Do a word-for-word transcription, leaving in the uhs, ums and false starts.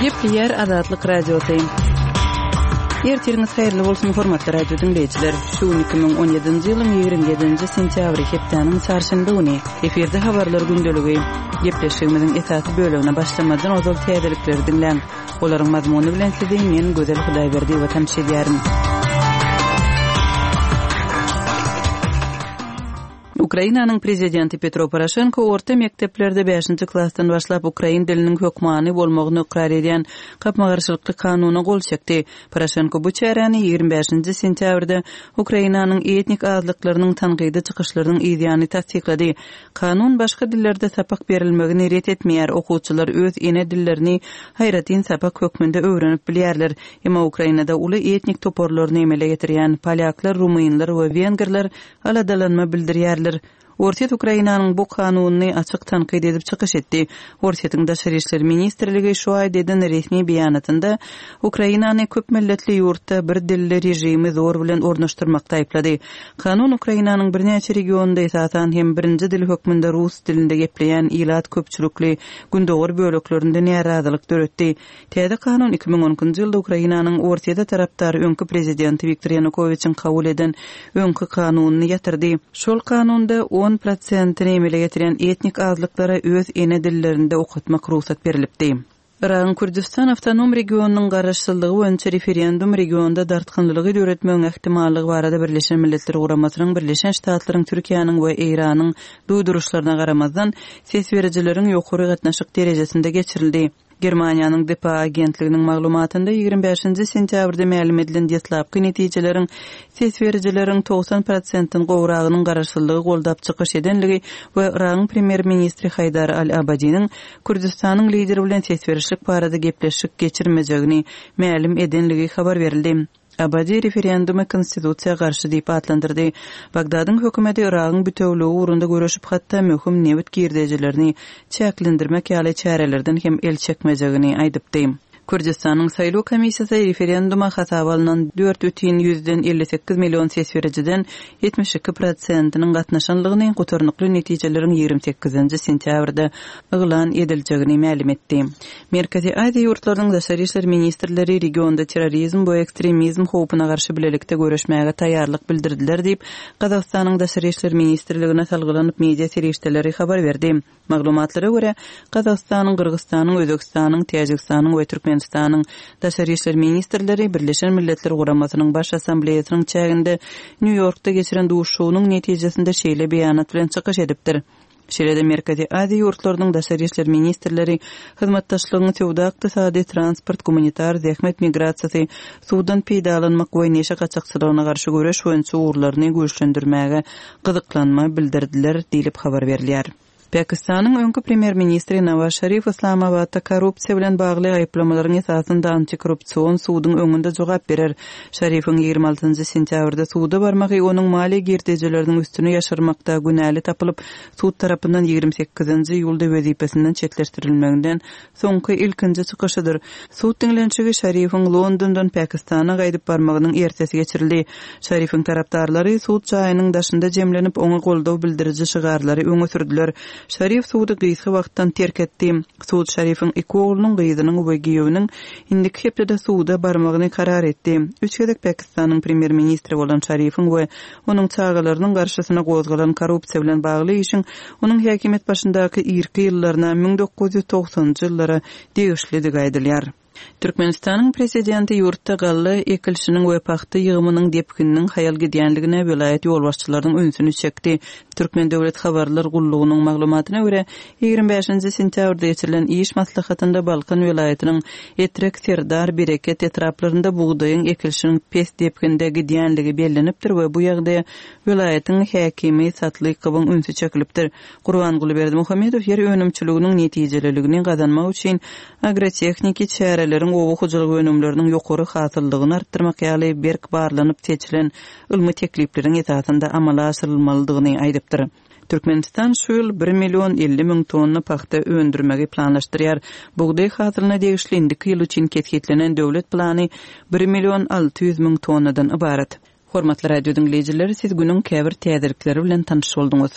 Gepleýär Azatlyk Radiosy. Ertiriňiz haýyrly bolsun, hormatly radio diňleýjiler. Şu gün iki müň on ýedinji ýylyň ýigrimi ýedinji sentýabry, hepdäniň çarşenbe güni. Efirde habarlar gündeligi. Gepleşigimiziň esasy bölegine başlamazdan ozal täzelikleri diňläň. Olaryň mazmuny bilen sizi men Gözel Hudaýberdiýewa tanyş edýärin. Ukrainanyň prezidenti Petro Poroşenko orta mekdeplerde bäşinji klasdan başlap ukrain diliniň hökmany bolmagyny ykrar edýän gapma-garşylykly kanuna gol çekdi. Poroşenko bu çäräni ýigrimi bäşinji sentýabrda Ukrainanyň etnik azlyklarynyň tankydy çykyşlarynyň yzýany tassyklady. Kanun başga dillerde sapak berilmegini ret etmeýär, okuwçylar öz ene dillerini aýratyn sapak hökmünde öwrenip bilýärler. Emma Ukrainada uly etnik toparlaryny emele getirýän polýaklar, rumynlar we wengerler aladalanma bildirýärler. Orsýet Ukrainanyň bu kanunyny açyk tankyt edip çykyş etdi. Orsýetiň Daşary işler ministrligi şu aýda eden resmi beýanatynda Ukrainany köp milletli ýurtda bir dilli režimi zor bilen ornaşdyrmakda aýyplady. Kanun Ukrainanyň birnäçe regionynda esasan hem birinji dil hökmünde rus dilinde gepleýän ilat köpçülikli gündogar böleklerinde närazylyk döretdi. Täze kanun iki müň on ikinji ýylda Ukrainanyň Orsýete tarapdar öňki prezidenti Wiktor Ýanukowiçiň kabul eden öňki kanunyny ýatyrdy. Şol kanunda on prosentini emele getirýän etnik azlyklara öz ene dillerinde okatmak rugsat berilipdi. Yragyň Kürdistan awtonom regionynyň garaşsyzlygy boýunça referendum regionda dartgynlygy döretmegiň ähtimallygy barada Birleşen Milletler Guramasynyň, Birleşen Ştatlaryň, Türkiýäniň we Eýranyň duýduryşlaryna garamazdan, ses berijileriň ýokary gatnaşyk derejesinde geçirildi. Germaniýanyň D P A agentliginiň maglumatynda ýigrimi bäşinji sentýabrda mälim edilen deslapky netijeleriň ses berijileriň togsan prosentden gowragynyň garaşsyzlygy goldap çykyş edenligi we Yragyň premýer-ministri Haýdar Al-Abadiniň Kürdistanyň lideri bilen ses berişlik barada gepleşik geçirmejegini mälim edenligi habar berildi. Abadi referendumy konstitusiýa garşy diýip atlandyrdy. Bagdadyň hökümeti Yragyň bütewligi ugrunda göreşip, hatda möhüm nebit girdejilerini çäklendirmek ýaly çärelerden hem el çekmejegini aýdypdy. Kürdistanyň saýlaw komissiýasy referenduma hasaba alynan dört bütin ýüzden elli sekiz million ses berijiden ýetmiş iki prosentiniň gatnaşanlygyny gutarnykly netijeleriň ýigrimi sekizinji sentýabrda yglan ediljegini mälim etdi. Merkezi Aziýa ýurtlarynyň daşary işler ministrleri regionda terrorizm we ekstremizm howpuna garşy bilelikde göreşmäge taýýarlyk bildirdiler diýip, Gazagystanyň daşary işler ministrligine salgylanyp media serişdeleri habar berdi. Maglumatlara görä, Gazagystanyň, Gyrgyzystanyň, Özbekistanyň, Täjigistanyň we Türkmenistanyň daşary işler ministrleri Birleşen Milletler Guramasynyň Baş Assambleýasynyň çäginde Nýu-Ýorkda geçiren duşuşygynyň netijesinde şeýle beýanat bilen çykyş edipdir. Şeýle-de Merkezi Aziýa ýurtlarynyň daşary işler ministrleri hyzmatdaşlygyň söwda, ykdysady, transport, gumanitar, zähmet migrasiýasy, suwdan peýdalanmak we neşe gaçakçylygyna garşy göreş boýunça ugurlaryny güýçlendirmäge gyzyklanma bildirdiler diýlip habar berilýär. Pakistanyň öňki premýer-ministri Nawaz Şarif Islamabadda korrupsiýa bilen bagly aýyplamalaryň esasynda antikorrupsion suduň öňünde jogap berer. Şarifiň ýigrimi altynjy sentýabrda suda barmagy onuň maliýe girdejileriniň üstüne ýaşyrmakda günäli tapylyp, sud tarapyndan ýigrimi sekizinji iýulda wezipesinden çetleşdirilmeginden soňky ilkinji çykyşydyr. Sud diňlenişigi Şarifiň Londondan Pakistana gaýdyp barmagynyň ertesi geçirildi. Şarifiň tarapdarlary sud jaýynyň daşynda jemlenip, oňa goldaw bildiriji şygarlary öňe sürdüler. Şarif sudy gysga wagtdan terk etdi. Sud Şarifiň iki oglunyň, gyzynyň we giýewiniň indiki hepdede suda barmagyny karar etdi. Üç gezek Pakistanyň premýer-ministri bolan Şarifiň we onuň çagalarynyň garşysyna gozgalan korrupsiýa bilen bagly işiň onuň häkimiýet başyndaky irki ýyllaryna müň dokuz ýüz togsanjy ýyllara degişlidigi aýdylýar. Türkmenistanyň prezidenti ýurtda galla ekilişiniň we pagta ýygymynyň depgininiň haýal gidýänligine welaýat ýolbaşçylarynyň ünsüni çekdi. Türkmen Döwlet Habarlar Gullugynyň maglumatyna görä, ýigrimi bäşinji sentýabrda geçirilen iş maslahatynda Balkan welaýatynyň Etrek, Serdar, Bereket etraplarynda bugdaýyň ekilişiniň pes depginde gidýänligi bellenipdir we bu ýagdaýa welaýatyň häkimi Satlykowyň ünsi çekilipdir. Gurbanguly Berdimuhamedow ýer önümçiliginiň netijeliligini gazanmak üçin agrotehniki çäreleriň oba hojalyk önümleriniň ýokary hasyllygyny artdyrmak ýaly berk barlanyp seçilen ylmy teklipleriň esasynda amala aşyrylmalydygyny aýdypdyr. Türkmenistan şu ýyl bir million elli müň tonna pagta öndürmegi planlaşdyrýar. Bugdaý hasylyna degişli indiki ýyl üçin kesgitlenen döwlet plany bir million alty ýüz müň tonnadan ybarat. Hormatly radio diňleýjiler, siz günüň käbir täzelikleri bilen tanyş bolduňyz.